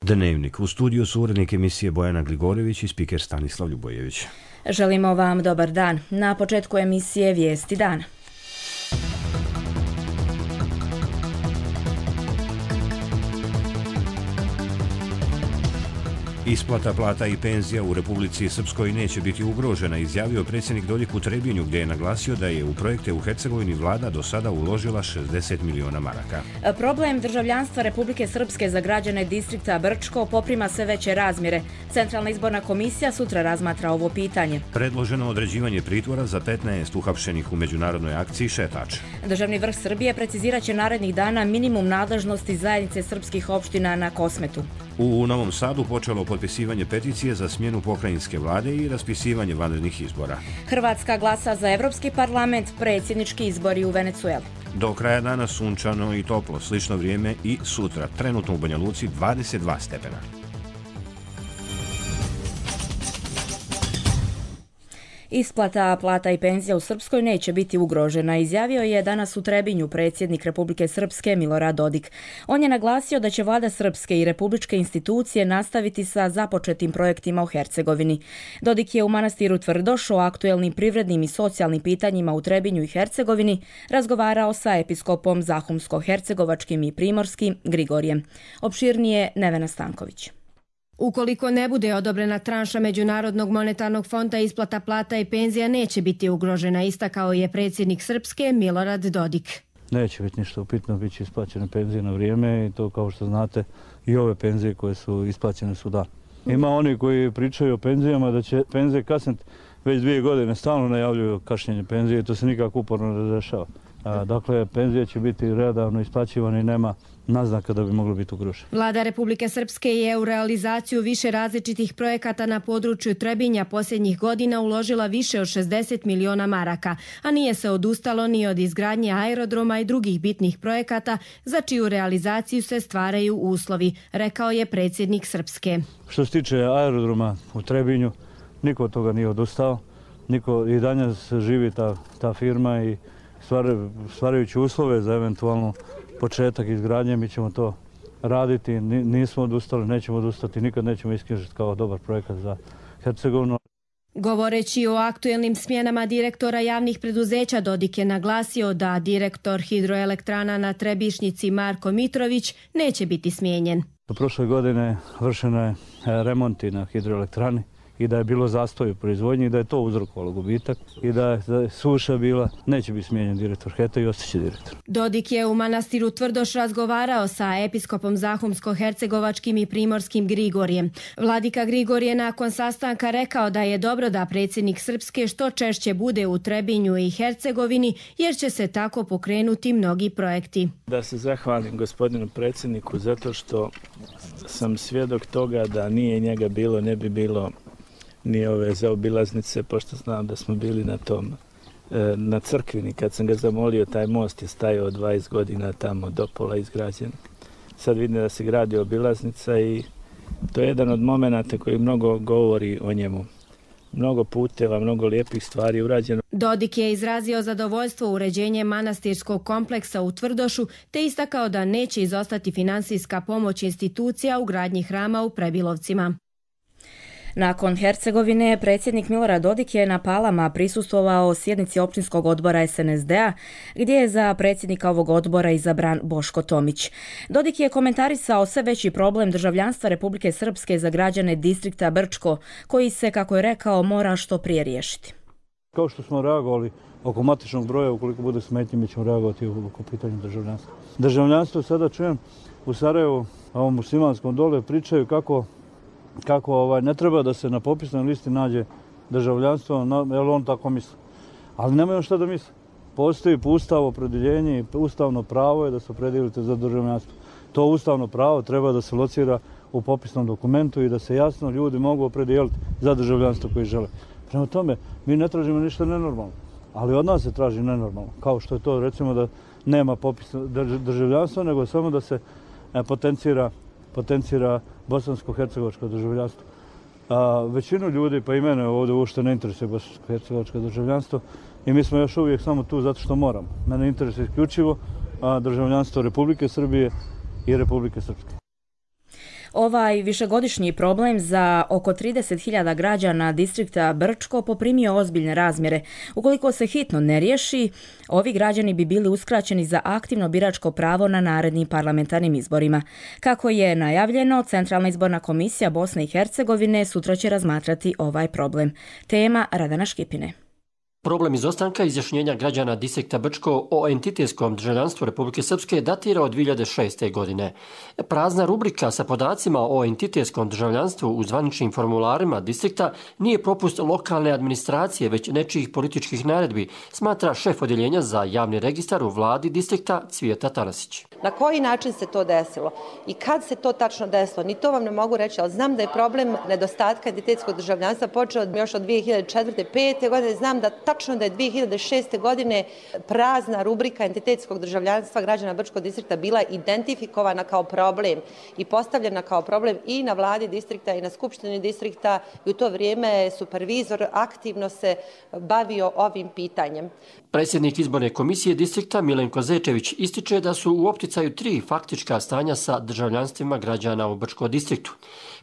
Dnevnik. U studiju su urednik emisije Bojana Gligorović i spiker Stanislav Ljubojević. Želimo vam dobar dan. Na početku emisije Vijesti dana. Isplata plata i penzija u Republici Srpskoj neće biti ugrožena, izjavio predsjednik Dodik u Trebinju, gdje je naglasio da je u projekte u Hercegovini vlada do sada uložila 60 miliona maraka. Problem državljanstva Republike Srpske za građane distrikta Brčko poprima sve veće razmjere. Centralna izborna komisija sutra razmatra ovo pitanje. Predloženo određivanje pritvora za 15 uhapšenih u međunarodnoj akciji Šetač. Državni vrh Srbije precizirat će narednih dana minimum nadležnosti zajednice srpskih opština na Kosmetu. U Novom Sadu počelo potpisivanje peticije za smjenu pokrajinske vlade i raspisivanje vanrednih izbora. Hrvatska glasa za Evropski parlament, predsjednički izbori u Venecueli. Do kraja dana sunčano i toplo, slično vrijeme i sutra. Trenutno u Banja Luci 22 stepena. Isplata plata i penzija u Srpskoj neće biti ugrožena, izjavio je danas u Trebinju predsjednik Republike Srpske Milorad Dodik. On je naglasio da će vlada Srpske i republičke institucije nastaviti sa započetim projektima u Hercegovini. Dodik je u manastiru Tvrdoš o aktuelnim privrednim i socijalnim pitanjima u Trebinju i Hercegovini razgovarao sa episkopom Zahumsko-hercegovačkim i primorskim Grigorijem. Opširnije Nevena Stanković. Ukoliko ne bude odobrena tranša Međunarodnog monetarnog fonda, isplata plata i penzija neće biti ugrožena, istakao je predsjednik Srpske Milorad Dodik. Neće biti ništa upitno, bit će isplaćene penzije na vrijeme i to, kao što znate, i ove penzije koje su isplaćene su dan. Ima oni koji pričaju o penzijama da će penzije kasniti već 2 godine, stalno najavljuju kašnjenje penzije i to se nikako uporno ne razrešava. Dakle, penzije će biti redovno isplaćivane i nema naznaka da bi moglo biti ugroženo. Vlada Republike Srpske je u realizaciju više različitih projekata na području Trebinja posljednjih godina uložila više od 60 miliona maraka, a nije se odustalo ni od izgradnje aerodroma i drugih bitnih projekata za čiju realizaciju se stvaraju uslovi, rekao je predsjednik Srpske. Što se tiče aerodroma u Trebinju, niko od toga nije odustao, i danas živi ta firma i stvarajući uslove za eventualno početak izgradnje, mi ćemo to raditi, nismo odustali, nećemo odustati, nikad nećemo isknjižiti kao dobar projekat za Hercegovinu. Govoreći o aktuelnim smjenama direktora javnih preduzeća, Dodik je naglasio da direktor hidroelektrana na Trebišnjici Marko Mitrović neće biti smijenjen. Prošle godine vršeno je remonti na hidroelektrani i da je bilo zastoj u proizvodnji i da je to uzrokovalo gubitak i da je suša bila, neće biti smijenjen direktor HET-a i ostaće direktor. Dodik je u manastiru Tvrdoš razgovarao sa episkopom Zahumsko-hercegovačkim i primorskim Grigorijem. Vladika Grigorije nakon sastanka rekao da je dobro da predsjednik Srpske što češće bude u Trebinju i Hercegovini, jer će se tako pokrenuti mnogi projekti. Da se zahvalim gospodinu predsjedniku zato što sam svjedok toga da nije njega bilo, ne bi bilo ni ove zaobilaznice, pošto znam da smo bili na Crkvini. Kad sam ga zamolio, taj most je stajao 20 godina tamo do pola izgrađen. Sad vidim da se gradi obilaznica i to je jedan od momenata koji mnogo govori o njemu. Mnogo puteva, mnogo lijepih stvari urađeno. Dodik je izrazio zadovoljstvo uređenjem manastirskog kompleksa u Tvrdošu te istakao da neće izostati finansijska pomoć institucija u gradnji hrama u Prebilovcima. Nakon Hercegovine, predsjednik Milorad Dodik je na Palama prisustvovao sjednici općinskog odbora SNSD-a, gdje je za predsjednika ovog odbora izabran Boško Tomić. Dodik je komentarisao sve veći problem državljanstva Republike Srpske za građane distrikta Brčko, koji se, kako je rekao, mora što prije riješiti. Kao što smo reagovali oko matičnog broja, ukoliko bude smetnje, mi ćemo reagovati oko pitanja državljanstva. Državljanstvo sada čujem u Sarajevu, a ovom muslimanskom dole, pričaju kako ne treba da se na popisnoj listi nađe državljanstvo, jer on tako misli. Ali nemaju šta da misle. Postoji po ustavu opredjeljenje i ustavno pravo je da se opredijelite za državljanstvo. To ustavno pravo treba da se locira u popisnom dokumentu i da se jasno ljudi mogu opredijeliti za državljanstvo koje žele. Prema tome, mi ne tražimo ništa nenormalno, ali od nas se traži nenormalno. Kao što je to, recimo, da nema popisa državljanstva, nego samo da se potencira bosansko-hercegovačko državljanstvo. Većinu ljudi, pa i mene ovdje uopšte ne interesuje bosansko-hercegovačko državljanstvo i mi smo još uvijek samo tu zato što moramo. Mene interesuje isključivo državljanstvo Republike Srbije i Republike Srpske. Ovaj višegodišnji problem za oko 30.000 građana distrikta Brčko poprimio ozbiljne razmjere. Ukoliko se hitno ne riješi, ovi građani bi bili uskraćeni za aktivno biračko pravo na narednim parlamentarnim izborima. Kako je najavljeno, Centralna izborna komisija Bosne i Hercegovine sutra će razmatrati ovaj problem. Tema Radana Škipine. Problem izostanka izjašnjenja građana distrikta Brčko o entitetskom državljanstvu Republike Srpske datira od 2006. godine. Prazna rubrika sa podacima o entitetskom državljanstvu u zvaničnim formularima distrikta nije propust lokalne administracije, već nečijih političkih naredbi, smatra šef odjeljenja za javni registar u vladi distrikta Cvijeta Tanasić. Na koji način se to desilo i kad se to tačno desilo, ni to vam ne mogu reći, ali znam da je problem nedostatka entitetskog državljanstva počeo još od 2004. 5. godine. Znam da tačno da je 2006. godine prazna rubrika entitetskog državljanstva građana Brčkog distrikta bila identifikovana kao problem i postavljena kao problem i na vladi distrikta i na skupštini distrikta i u to vrijeme supervizor aktivno se bavio ovim pitanjem. Predsjednik izborne komisije distrikta Milenko Zečević ističe da su u opticaju 3 faktička stanja sa državljanstvima građana u Brčkom distriktu.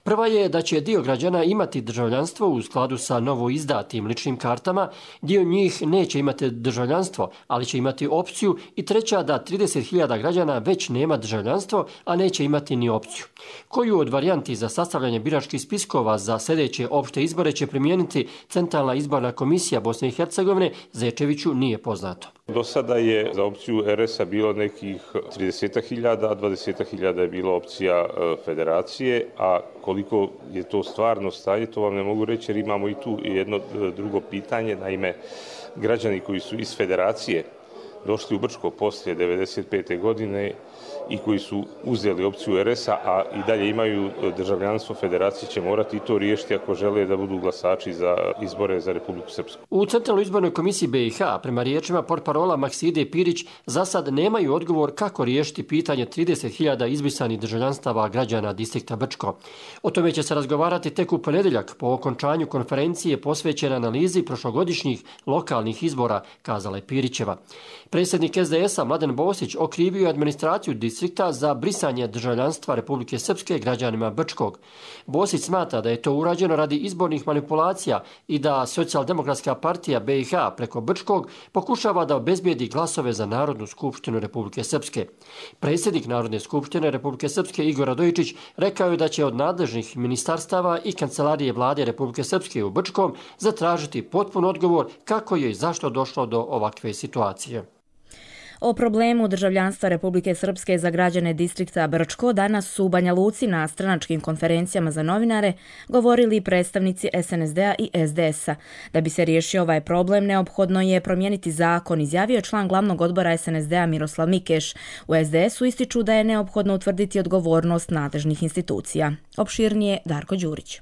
Prva je da će dio građana imati državljanstvo u skladu sa novo izdatim ličnim kartama, dio njih neće imati državljanstvo, ali će imati opciju, i treća da 30.000 građana već nema državljanstvo, a neće imati ni opciju. Koju od varijanti za sastavljanje biračkih spiskova za sljedeće opšte izbore će primijeniti Centralna izborna komisija Bosne i Hercegovine, Zečeviću nije poznato. Do sada je za opciju RS-a bilo nekih 30.000, a 20.000 je bilo opcija federacije, a koliko je to stvarno stanje, to vam ne mogu reći jer imamo i tu jedno drugo pitanje. Naime, građani koji su iz federacije došli u Brčko poslije 1995. godine i koji su uzeli opciju RS-a, a i dalje imaju državljanstvo federacije, će morati i to riješiti ako žele da budu glasači za izbore za Republiku Srpsku. U Centralnoj izbornoj komisiji BiH, prema riječima portparola Makside Pirić, za sad nemaju odgovor kako riješiti pitanje 30.000 izbrisanih državljanstava građana distrikta Brčko. O tome će se razgovarati tek u ponedjeljak po okončanju konferencije posvećene analizi prošlogodišnjih lokalnih izbora, kazala je Pirićeva. Predsjednik SDS-a Mladen Bosić okrivio je administraciju distrikta za brisanje državljanstva Republike Srpske građanima Brčkog. Bosić smatra da je to urađeno radi izbornih manipulacija i da Socijaldemokratska partija BiH preko Brčkog pokušava da obezbijedi glasove za Narodnu skupštinu Republike Srpske. Predsjednik Narodne skupštine Republike Srpske Igor Radojičić rekao je da će od nadležnih ministarstava i kancelarije vlade Republike Srpske u Brčkom zatražiti potpun odgovor kako je i zašto došlo do ovakve situacije. O problemu državljanstva Republike Srpske za građane distrikta Brčko danas su u Banja Luci na stranačkim konferencijama za novinare govorili predstavnici SNSD-a i SDS-a. Da bi se riješio ovaj problem, neophodno je promijeniti zakon, izjavio član glavnog odbora SNSD-a Miroslav Mikeš. U SDS-u ističu da je neophodno utvrditi odgovornost nadležnih institucija. Opširnije Darko Đurić.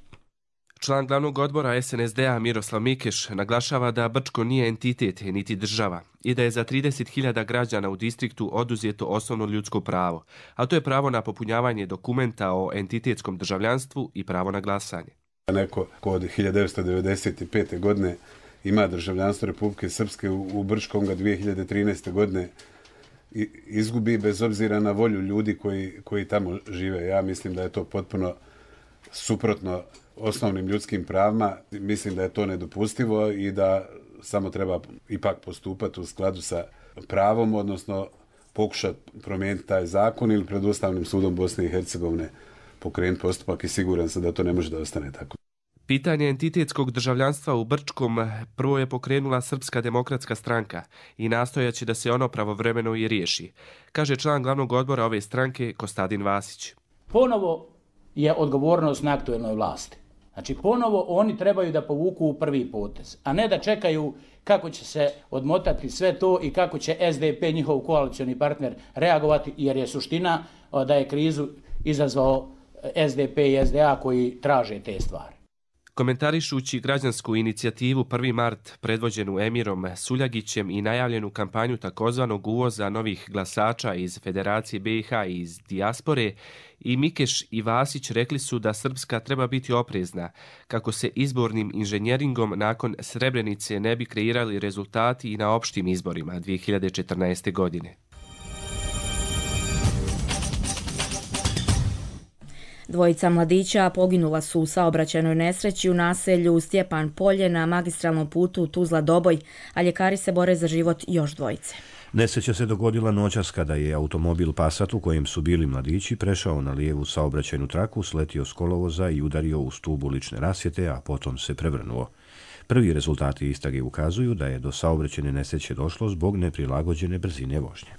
Član glavnog odbora SNSD-a Miroslav Mikeš naglašava da Brčko nije entitet niti država i da je za 30.000 građana u distriktu oduzeto osnovno ljudsko pravo, a to je pravo na popunjavanje dokumenta o entitetskom državljanstvu i pravo na glasanje. Neko ko od 1995. godine ima državljanstvo Republike Srpske u Brčkom ga 2013. godine izgubi bez obzira na volju ljudi koji tamo žive. Ja mislim da je to potpuno suprotno osnovnim ljudskim pravima. Mislim da je to nedopustivo i da samo treba ipak postupati u skladu sa pravom, odnosno pokušati promijeniti taj zakon ili pred Ustavnim sudom Bosne i Hercegovine pokrenuti postupak i siguran sam da to ne može da ostane tako. Pitanje entitetskog državljanstva u Brčkom prvo je pokrenula Srpska demokratska stranka i nastojaće da se ono pravovremeno i riješi, kaže član glavnog odbora ove stranke Kostadin Vasić. Ponovo je odgovornost na aktuelnoj vlasti. Znači, ponovo oni trebaju da povuku prvi potez, a ne da čekaju kako će se odmotati sve to i kako će SDP, njihov koalicioni partner, reagovati, jer je suština da je krizu izazvao SDP i SDA koji traže te stvari. Komentarišući građansku inicijativu 1. mart predvođenu Emirom Suljagićem i najavljenu kampanju takozvanog uvoza novih glasača iz Federacije BiH i iz dijaspore, i Mikeš i Vasić rekli su da Srpska treba biti oprezna kako se izbornim inženjeringom nakon Srebrenice ne bi kreirali rezultati i na opštim izborima 2014. godine. Dvojica mladića poginula su u saobraćajnoj nesreći u naselju Stjepan Polje na magistralnom putu Tuzla-Doboj, a ljekari se bore za život još dvojice. Nesreća se dogodila noćas kada je automobil Passat u kojem su bili mladići prešao na lijevu saobraćajnu traku, sletio s kolovoza i udario u stup ulične rasvjete, a potom se prevrnuo. Prvi rezultati istrage ukazuju da je do saobraćajne nesreće došlo zbog neprilagođene brzine vožnje.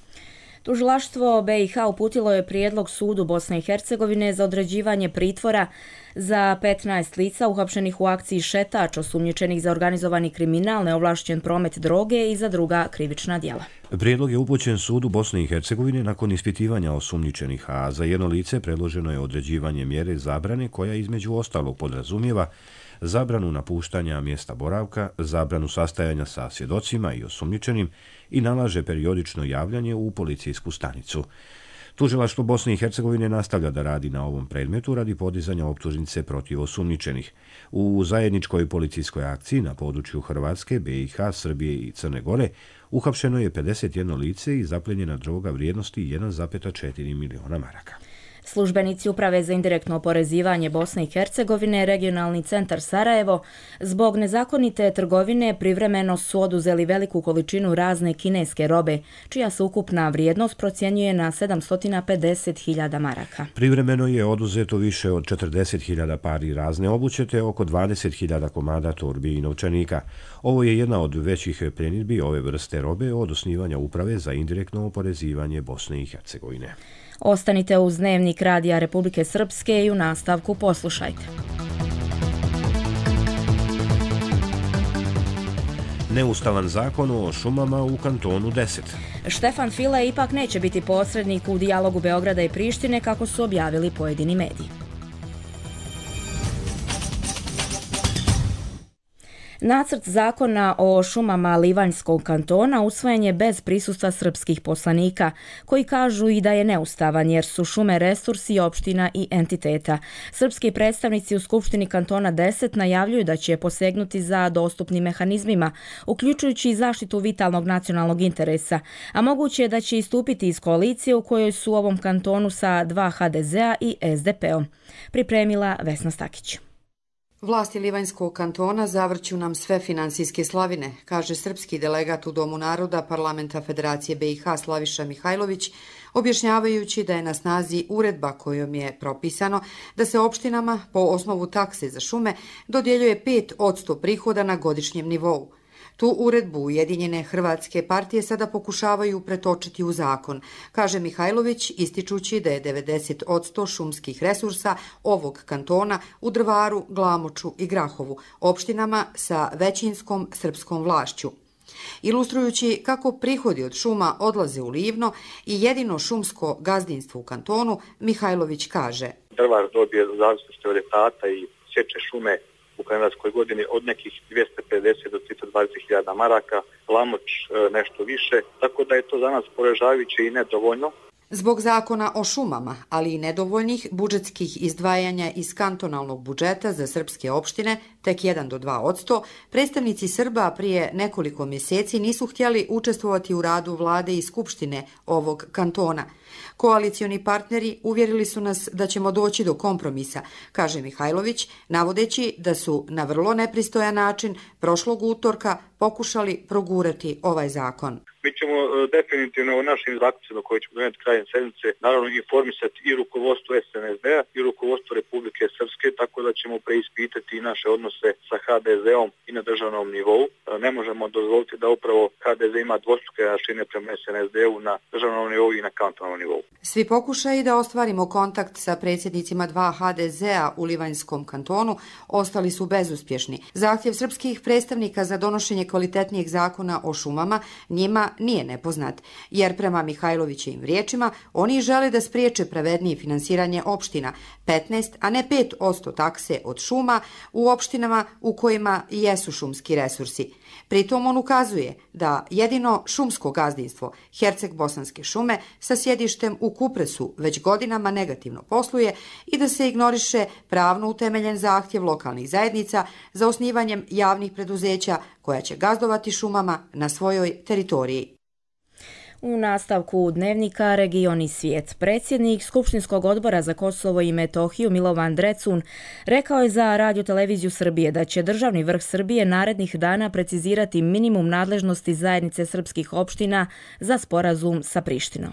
Tužilaštvo BiH uputilo je prijedlog sudu Bosne i Hercegovine za određivanje pritvora za 15 lica uhapšenih u akciji Šetač, osumnjičenih za organizovani kriminal, neovlašćen promet droge i za druga krivična djela. Prijedlog je upućen sudu Bosne i Hercegovine nakon ispitivanja osumnjičenih, a za jedno lice predloženo je određivanje mjere zabrane koja između ostalog podrazumijeva zabranu napuštanja mjesta boravka, zabranu sastajanja sa svjedocima i osumnjičenim i nalaže periodično javljanje u policijsku stanicu. Tužilaštvo Bosne i Hercegovine nastavlja da radi na ovom predmetu radi podizanja optužnice protiv osumnjičenih. U zajedničkoj policijskoj akciji na području Hrvatske, BiH, Srbije i Crne Gore uhapšeno je 51 lice i zapljenjena droga vrijednosti 1,4 miliona maraka. Službenici Uprave za indirektno oporezivanje Bosne i Hercegovine, regionalni centar Sarajevo, zbog nezakonite trgovine privremeno su oduzeli veliku količinu razne kineske robe, čija se ukupna vrijednost procjenjuje na 750.000 maraka. Privremeno je oduzeto više od 40.000 pari razne obuće te oko 20.000 komada torbi i novčanika. Ovo je jedna od većih pljenidbi ove vrste robe od osnivanja Uprave za indirektno oporezivanje Bosne i Hercegovine. Ostanite uz Dnevnik Radija Republike Srpske i u nastavku poslušajte. Neustavan zakon o šumama u kantonu 10. Štefan File ipak neće biti posrednik u dijalogu Beograda i Prištine, kako su objavili pojedini mediji. Nacrt zakona o šumama Livanjskog kantona usvojen je bez prisustva srpskih poslanika, koji kažu i da je neustavan jer su šume resursi opština i entiteta. Srpski predstavnici u Skupštini kantona 10 najavljuju da će posegnuti za dostupnim mehanizmima, uključujući i zaštitu vitalnog nacionalnog interesa, a moguće je da će istupiti iz koalicije u kojoj su u ovom kantonu sa 2 HDZ-a i SDP-om. Pripremila Vesna Stakić. Vlasti Livanjskog kantona zavrću nam sve finansijske slavine, kaže srpski delegat u Domu naroda Parlamenta Federacije BiH Slaviša Mihajlović, objašnjavajući da je na snazi uredba kojom je propisano da se opštinama po osnovu takse za šume dodjeljuje 5% prihoda na godišnjem nivou. Tu uredbu Ujedinjene hrvatske partije sada pokušavaju pretočiti u zakon, kaže Mihajlović, ističući da je 90% šumskih resursa ovog kantona u Drvaru, Glamoču i Grahovu, opštinama sa većinskom srpskom vlašću. Ilustrujući kako prihodi od šuma odlaze u Livno i jedino šumsko gazdinstvo u kantonu, Mihajlović kaže: Drvar dobije u zavisnosti od etata i sječe šume u kalendarskoj godini od nekih 250 do 320.000 maraka, Glamoč nešto više, tako da je to za nas poražavajuće i nedovoljno. Zbog zakona o šumama, ali i nedovoljnih budžetskih izdvajanja iz kantonalnog budžeta za srpske opštine, tek 1 do 2%, predstavnici Srba prije nekoliko mjeseci nisu htjeli učestvovati u radu vlade i skupštine ovog kantona. Koalicioni partneri uvjerili su nas da ćemo doći do kompromisa, kaže Mihajlović, navodeći da su na vrlo nepristojan način prošlog utorka pokušali progurati ovaj zakon. Mi ćemo definitivno o našim zaključcima koje ćemo donijeti krajem sedmice naravno informisati i rukovodstvo SNSD-a i rukovodstvo Republike Srpske, tako da ćemo preispitati i naše odnose sa HDZ-om i na državnom nivou. Ne možemo dozvoliti da upravo HDZ ima dvostruke aršine prema SNSD-u na državnom nivou i na kantonalnom nivou. Svi pokušaji da ostvarimo kontakt sa predsjednicima 2 HDZ-a u Livanjskom kantonu ostali su bezuspješni. Zahtjev srpskih predstavnika za donošenje kvalitetnijeg zakona o šumama njima nije nepoznat, jer prema Mihajlovićevim riječima oni žele da spriječe pravednije finansiranje opština, 15, a ne 5% takse od šuma u opštinama u kojima jesu šumski resursi. Pritom on ukazuje da jedino šumsko gazdinstvo Herceg-Bosanske šume sa sjedištem u Kupresu već godinama negativno posluje i da se ignoriše pravno utemeljen zahtjev lokalnih zajednica za osnivanjem javnih preduzeća koja će gazdovati šumama na svojoj teritoriji. U nastavku dnevnika Region i svijet, predsjednik Skupštinskog odbora za Kosovo i Metohiju Milovan Drecun rekao je za Radio televiziju Srbije da će državni vrh Srbije narednih dana precizirati minimum nadležnosti zajednice srpskih opština za sporazum sa Prištinom.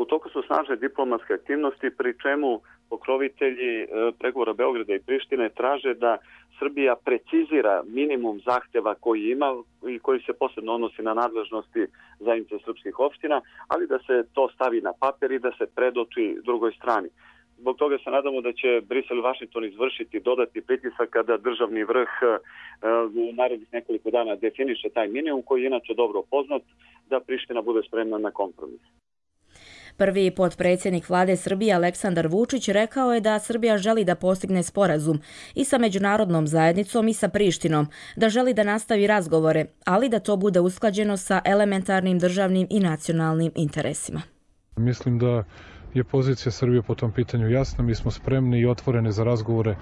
U toku su snažne diplomatske aktivnosti, pri čemu pokrovitelji pregovora Beograda i Prištine traže da Srbija precizira minimum zahtjeva koji ima i koji se posebno odnosi na nadležnosti zajednice srpskih opština, ali da se to stavi na papir i da se predoči drugoj strani. Zbog toga se nadamo da će Brisel i Vašington izvršiti dodatni pritisak kada državni vrh u narednih nekoliko dana definiše taj minimum koji je inače dobro poznat, da Priština bude spremna na kompromis. Prvi potpredsjednik vlade Srbije Aleksandar Vučić rekao je da Srbija želi da postigne sporazum i sa međunarodnom zajednicom i sa Prištinom, da želi da nastavi razgovore, ali da to bude usklađeno sa elementarnim državnim i nacionalnim interesima. Mislim da je pozicija Srbije po tom pitanju jasna. Mi smo spremni i otvoreni za razgovore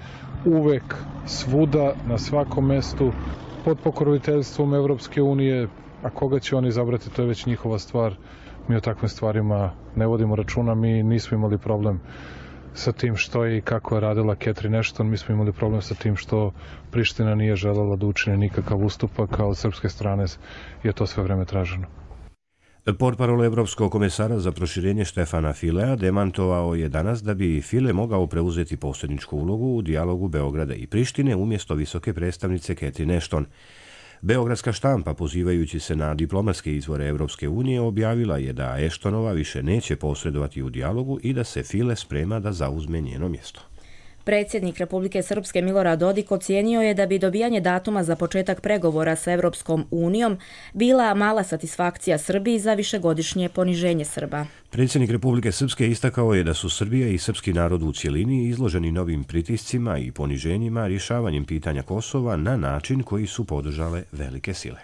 uvek, svuda, na svakom mestu, pod pokroviteljstvom Evropske unije, a koga će oni izabrati, to je već njihova stvar. Mi o takvim stvarima ne vodimo računa, mi nismo imali problem sa tim što je i kako je radila Catherine Ashton, mi smo imali problem sa tim što Priština nije želela da učine nikakav ustupak, a od srpske strane je to sve vreme traženo. Portparol Evropskog komesara za proširenje Štefana Filea demantovao je danas da bi File mogao preuzeti posredničku ulogu u dijalogu Beograda i Prištine umjesto visoke predstavnice Catherine Ashton. Beogradska štampa, pozivajući se na diplomatske izvore Evropske unije, objavila je da Ashtonova više neće posredovati u dijalogu i da se File sprema da zauzme njeno mjesto. Predsjednik Republike Srpske Milorad Dodik ocijenio je da bi dobijanje datuma za početak pregovora sa Evropskom unijom bila mala satisfakcija Srbiji za višegodišnje poniženje Srba. Predsjednik Republike Srpske istakao je da su Srbija i srpski narod u cjelini izloženi novim pritiscima i poniženjima rješavanjem pitanja Kosova na način koji su podržale velike sile.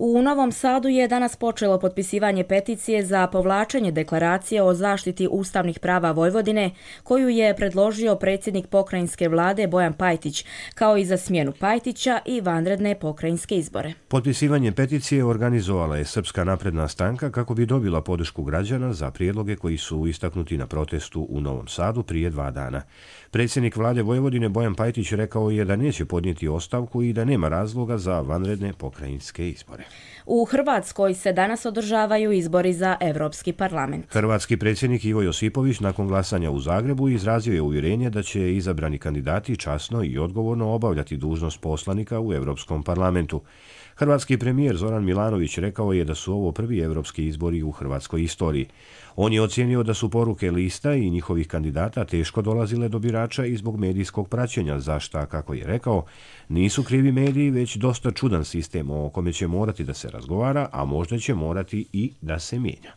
U Novom Sadu je danas počelo potpisivanje peticije za povlačenje deklaracije o zaštiti ustavnih prava Vojvodine, koju je predložio predsjednik pokrajinske vlade Bojan Pajtić, kao i za smjenu Pajtića i vanredne pokrajinske izbore. Potpisivanje peticije organizovala je Srpska napredna stranka kako bi dobila podršku građana za prijedloge koji su istaknuti na protestu u Novom Sadu prije 2 dana. Predsjednik vlade Vojvodine Bojan Pajtić rekao je da neće podnijeti ostavku i da nema razloga za vanredne pokrajinske izbore. U Hrvatskoj se danas održavaju izbori za Europski parlament. Hrvatski predsjednik Ivo Josipović nakon glasanja u Zagrebu izrazio je uvjerenje da će izabrani kandidati časno i odgovorno obavljati dužnost poslanika u Europskom parlamentu. Hrvatski premijer Zoran Milanović rekao je da su ovo prvi europski izbori u hrvatskoj istoriji. On je ocijenio da su poruke lista i njihovih kandidata teško dolazile do birača i zbog medijskog praćenja, za šta, kako je rekao, nisu krivi mediji, već dosta čudan sistem o kome će morati da se razgovara, a možda će morati i da se mijenja.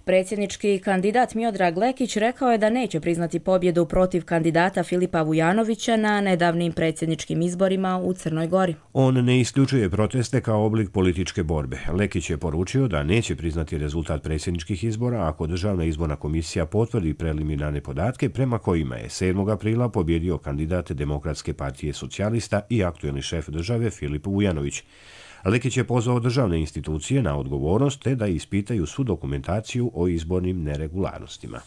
Predsjednički kandidat Miodrag Lekić rekao je da neće priznati pobjedu protiv kandidata Filipa Vujanovića na nedavnim predsjedničkim izborima u Crnoj Gori. On ne isključuje proteste kao oblik političke borbe. Lekić je poručio da neće priznati rezultat predsjedničkih izbora ako Državna izborna komisija potvrdi preliminarne podatke prema kojima je 7. aprila pobjedio kandidat Demokratske partije socijalista i aktuelni šef države Filip Vujanović. Lekić je pozvao državne institucije na odgovornost te da ispitaju svu dokumentaciju o izbornim neregularnostima.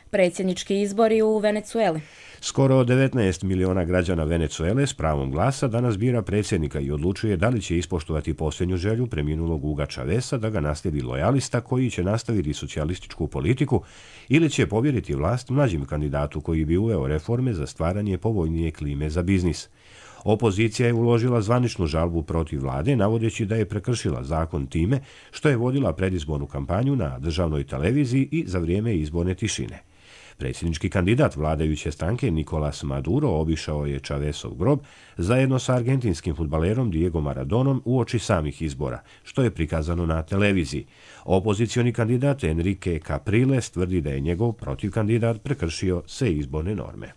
Predsjednički izbori u Venecueli. Skoro 19 miliona građana Venecuele s pravom glasa danas bira predsjednika i odlučuje da li će ispoštovati posljednju želju preminulog Huga Chaveza da ga naslijedi lojalista koji će nastaviti socijalističku politiku ili će povjeriti vlast mlađim kandidatu koji bi uveo reforme za stvaranje povoljnije klime za biznis. Opozicija je uložila zvaničnu žalbu protiv vlade, navodeći da je prekršila zakon time što je vodila predizbornu kampanju na državnoj televiziji i za vrijeme izborne tišine. Predsjednički kandidat vladajuće stranke Nicolás Maduro obišao je Chavezov grob zajedno sa argentinskim fudbalerom Diego Maradonom uoči samih izbora, što je prikazano na televiziji. Opozicioni kandidat Enrique Capriles tvrdi da je njegov protivkandidat prekršio sve izborne norme.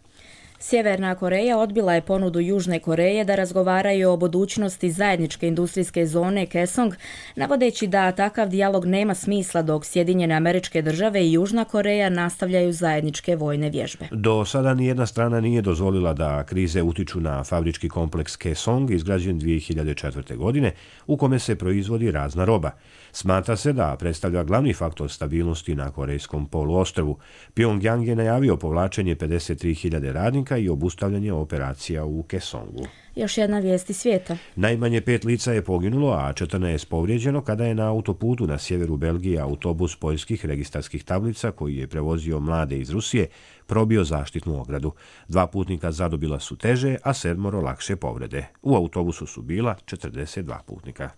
Sjeverna Koreja odbila je ponudu Južne Koreje da razgovaraju o budućnosti zajedničke industrijske zone Kaesong, navodeći da takav dijalog nema smisla dok Sjedinjene Američke Države i Južna Koreja nastavljaju zajedničke vojne vježbe. Do sada nijedna strana nije dozvolila da krize utiču na fabrički kompleks Kaesong izgrađen 2004. godine u kome se proizvodi razna roba. Smatra se da predstavlja glavni faktor stabilnosti na Korejskom poluostrvu. Pyongyang je najavio povlačenje 53.000 radnika i obustavljanje operacija u Kaesongu. Još jedna vijest iz svijeta. Najmanje 5 lica je poginulo, a 14 povrijeđeno kada je na autoputu na sjeveru Belgije autobus poljskih registarskih tablica koji je prevozio mlade iz Rusije probio zaštitnu ogradu. 2 putnika zadobila su teže, a 7 lakše povrede. U autobusu su bila 42 putnika.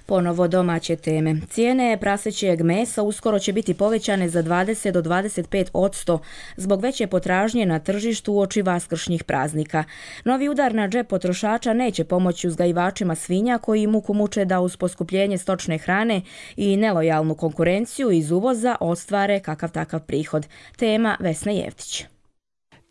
Ponovo domaće teme. Cijene prasećeg mesa uskoro će biti povećane za 20 do 25% zbog veće potražnje na tržištu uoči vaskršnjih praznika. Novi udar na džep potrošača neće pomoći uzgajivačima svinja koji muku muče da uz poskupljenje stočne hrane i nelojalnu konkurenciju iz uvoza ostvare kakav takav prihod. Tema Vesna Jevtić.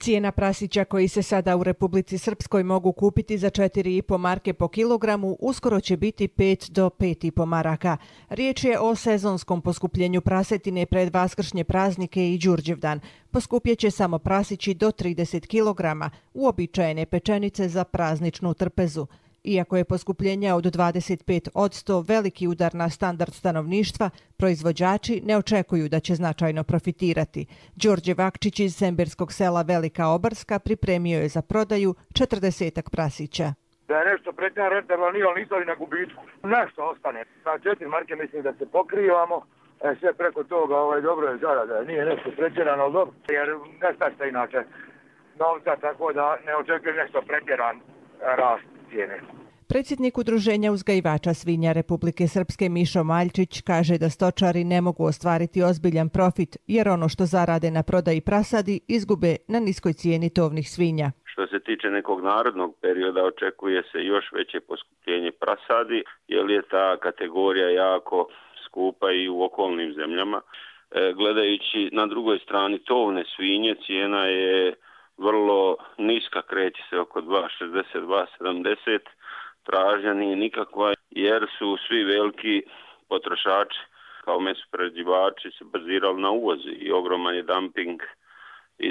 Cijena prasića koji se sada u Republici Srpskoj mogu kupiti za 4,5 marke po kilogramu uskoro će biti 5 do 5,5 maraka. Riječ je o sezonskom poskupljenju prasetine pred vaskršnje praznike i Đurđevdan. Poskupjet će samo prasići do 30 kilograma, uobičajene pečenice za prazničnu trpezu. Iako je poskupljenje od 25% veliki udar na standard stanovništva, proizvođači ne očekuju da će značajno profitirati. Đorđe Vakčić iz semberskog sela Velika Obarska pripremio je za prodaju 40 prasića. Da je nešto pretjerano rentabilno, nije ali nisam na gubitku. Nešto ostane. Na 4 marke mislim da se pokrivamo. Sve preko toga dobro je zarada. Nije nešto pretjerano, ali dobro. Jer ne stašte inače novca, tako da ne očekujem nešto pretjeran rast cijene. Predsjednik Udruženja uzgajivača svinja Republike Srpske Mišo Maljčić kaže da stočari ne mogu ostvariti ozbiljan profit jer ono što zarade na prodaji prasadi izgube na niskoj cijeni tovnih svinja. Što se tiče nekog narodnog perioda očekuje se još veće poskupljenje prasadi jer je ta kategorija jako skupa i u okolnim zemljama. Gledajući na drugoj strani tovne svinje cijena je vrlo niska, kreće se oko 2,60-2,70, tražnja nije nikakva jer su svi veliki potrošači kao mesoprerađivači se bazirali na uvoz i ogroman je dumping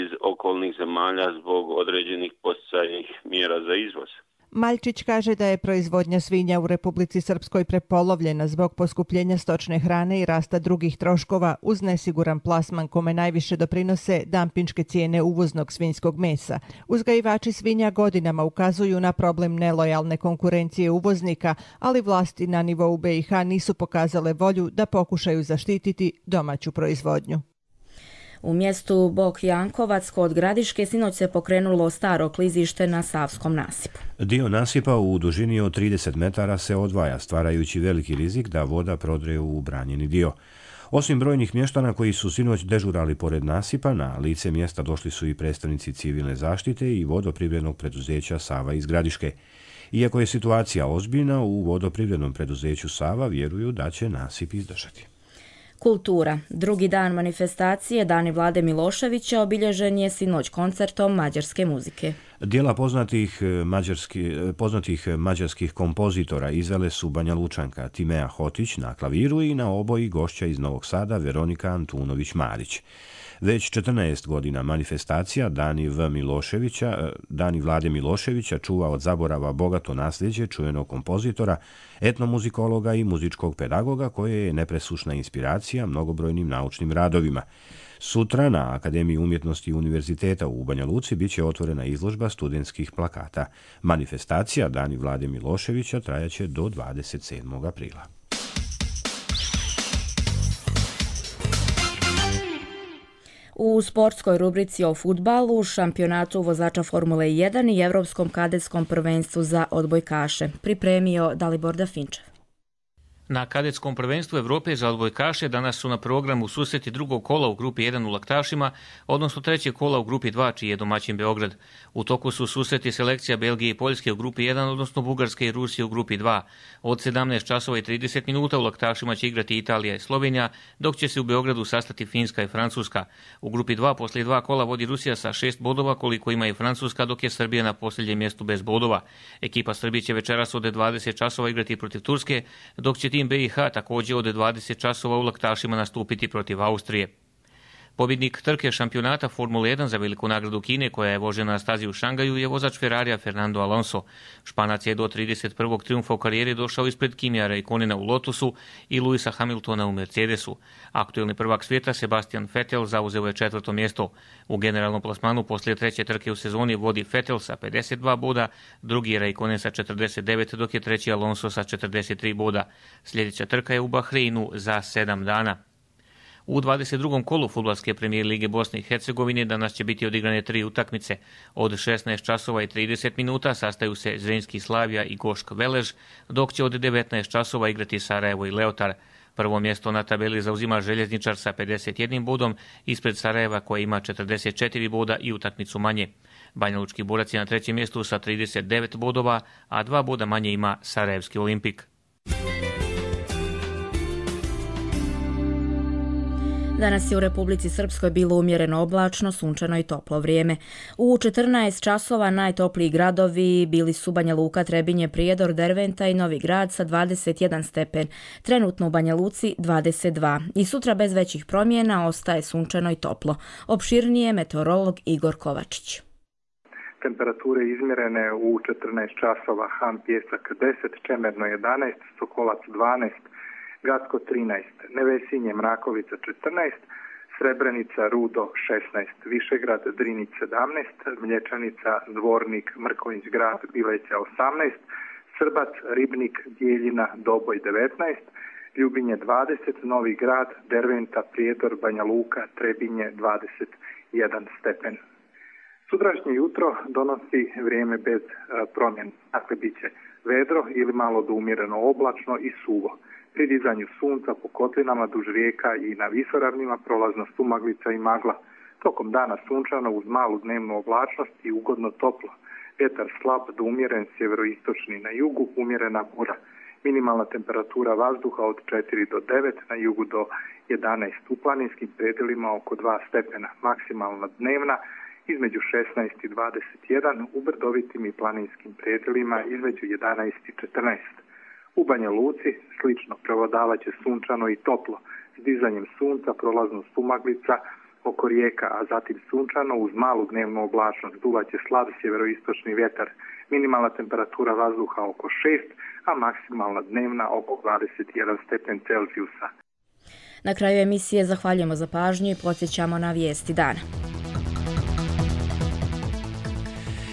iz okolnih zemalja zbog određenih podsticajnih mjera za izvoz. Maljčić kaže da je proizvodnja svinja u Republici Srpskoj prepolovljena zbog poskupljenja stočne hrane i rasta drugih troškova uz nesiguran plasman kome najviše doprinose dampinške cijene uvoznog svinjskog mesa. Uzgajivači svinja godinama ukazuju na problem nelojalne konkurencije uvoznika, ali vlasti na nivou BiH nisu pokazale volju da pokušaju zaštititi domaću proizvodnju. U mjestu Bok Jankovac kod Gradiške sinoć se pokrenulo staro klizište na Savskom nasipu. Dio nasipa u dužini od 30 metara se odvaja, stvarajući veliki rizik da voda prodre u branjeni dio. Osim brojnih mještana koji su sinoć dežurali pored nasipa, na lice mjesta došli su i predstavnici civilne zaštite i vodoprivrednog preduzeća Sava iz Gradiške. Iako je situacija ozbiljna, u vodoprivrednom preduzeću Sava vjeruju da će nasip izdržati. Kultura. Drugi dan manifestacije Dani Vlade Miloševića obilježen je sinoć koncertom mađarske muzike. Dijela poznatih mađarskih kompozitora izvele su Banja Lučanka Timea Hotić na klaviru i na oboji gošća iz Novog Sada Veronika Antunović-Marić. Već 14 godina manifestacija Dani Vlade Miloševića čuva od zaborava bogato nasljeđe čuvenog kompozitora, etnomuzikologa i muzičkog pedagoga koje je nepresušna inspiracija mnogobrojnim naučnim radovima. Sutra na Akademiji umjetnosti Univerziteta u Banja Luci bit će otvorena izložba studentskih plakata. Manifestacija Dani Vlade Miloševića trajaće do 27. aprila. U sportskoj rubrici o fudbalu, šampionatu vozača Formule 1 i Evropskom kadetskom prvenstvu za odbojkaše pripremio Dalibor Dafinčev. Na kadetskom prvenstvu Evrope za odbojkaše danas su na programu susreti drugog kola u grupi 1 u Laktašima, odnosno trećeg kola u grupi 2, čiji je domaćin Beograd. U toku su susreti selekcija Belgije i Poljske u grupi 1, odnosno Bugarske i Rusije u grupi 2. Od 17 časova i 30 minuta u Laktašima će igrati Italija i Slovenija, dok će se u Beogradu sastati Finska i Francuska. U grupi 2 poslije 2 kola vodi Rusija sa 6 bodova, koliko ima i Francuska, dok je Srbija na posljednjem mjestu bez bodova. Ekipa Srbije će večeras od 20 časova igrati protiv Turske, dok će tim BiH također od 20 časova u Laktašima nastupiti protiv Austrije. Pobjednik trke šampionata Formule 1 za veliku nagradu Kine, koja je vožena na stazi u Šangaju, je vozač Ferrarija Fernando Alonso. Španac je do 31. trijumfa u karijeri došao ispred Kimija Räikkönena u Lotusu i Lewisa Hamiltona u Mercedesu. Aktuelni prvak svijeta Sebastian Vettel zauzeo je 4. mjesto. U generalnom plasmanu poslije treće trke u sezoni vodi Vettel sa 52 boda, drugi je Räikkönen sa 49, dok je treći Alonso sa 43 boda. Sljedeća trka je u Bahreinu za 7 dana. U 22. kolu fudbalske premijer lige Bosne i Hercegovine danas će biti odigrane 3 utakmice. Od 16 časova i 30 minuta sastaju se Zrenjski Slavija i Gošk Velež, dok će od 19 časova igrati Sarajevo i Leotar. Prvo mjesto na tabeli zauzima Željezničar sa 51 bodom, ispred Sarajeva koja ima 44 boda i utakmicu manje. Banjalučki Borac je na trećem mjestu sa 39 bodova, a 2 boda manje ima Sarajevski Olimpik. Danas je u Republici Srpskoj bilo umjereno oblačno, sunčano i toplo vrijeme. U 14 časova najtopliji gradovi bili su Banja Luka, Trebinje, Prijedor, Derventa i Novi Grad sa 21 stepen. Trenutno u Banja Luci 22. I sutra bez većih promjena ostaje sunčano i toplo. Opširnije meteorolog Igor Kovačić. Temperature izmjerene u 14 časova: Han Pjesak 10, Čemerno 11, Sokolac 12, Gacko 13, Nevesinje, Mrakovica 14, Srebrenica, Rudo 16, Višegrad, Drinić 17, Mlječanica, Dvornik, Mrkonjić Grad, Bileća 18, Srbac, Ribnik, Dijeljina, Doboj 19, Ljubinje 20, Novi Grad, Derventa, Prijedor, Banja Luka, Trebinje 21 stepen. Sutrašnje jutro donosi vrijeme bez promjena, dakle bit će vedro ili malo do umjereno oblačno i suvo. Pri dizanju sunca po kotlinama duž rijeka i na visoravnima prolazna sumaglica i magla. Tokom dana sunčano uz malu dnevnu oblačnost i ugodno toplo. Vjetar slab do umjeren sjeveroistočni na jugu, umjerena bura. Minimalna temperatura vazduha od 4 do 9, na jugu do 11, u planinskim predjelima oko 2 stepena. Maksimalna dnevna između 16 i 21, u brdovitim i planinskim predjelima između 11 i 14. U Banja Luci slično prevladavat će sunčano i toplo, s dizanjem sunca prolazno sumaglica oko rijeka, a zatim sunčano uz malu dnevnu oblačnost. Duvat će slab sjeveroistočni vjetar. Minimalna temperatura vazduha oko 6, a maksimalna dnevna oko 21 stepen Celzijusa. Na kraju emisije zahvaljujemo za pažnju i podsjećamo na vijesti dana.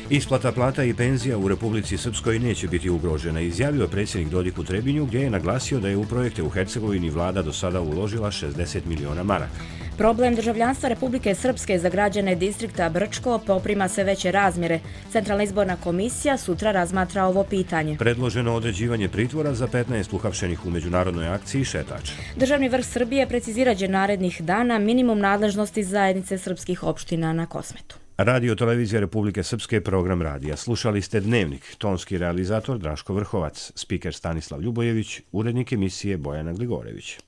Isplata plata i penzija u Republici Srpskoj neće biti ugrožena, izjavio je predsjednik Dodik u Trebinju, gdje je naglasio da je u projekte u Hercegovini vlada do sada uložila 60 miliona maraka. Problem državljanstva Republike Srpske za građane distrikta Brčko poprima sve veće razmjere. Centralna izborna komisija sutra razmatra ovo pitanje. Predloženo određivanje pritvora za 15 uhapšenih u međunarodnoj akciji Šetač. Državni vrh Srbije precizirat će narednih dana minimum nadležnosti zajednice srpskih opština na Kosmetu. Radio Televizija Republike Srpske, program radija. Slušali ste Dnevnik, tonski realizator Draško Vrhovac, spiker Stanislav Ljubojević, urednik emisije Bojana Gligorević.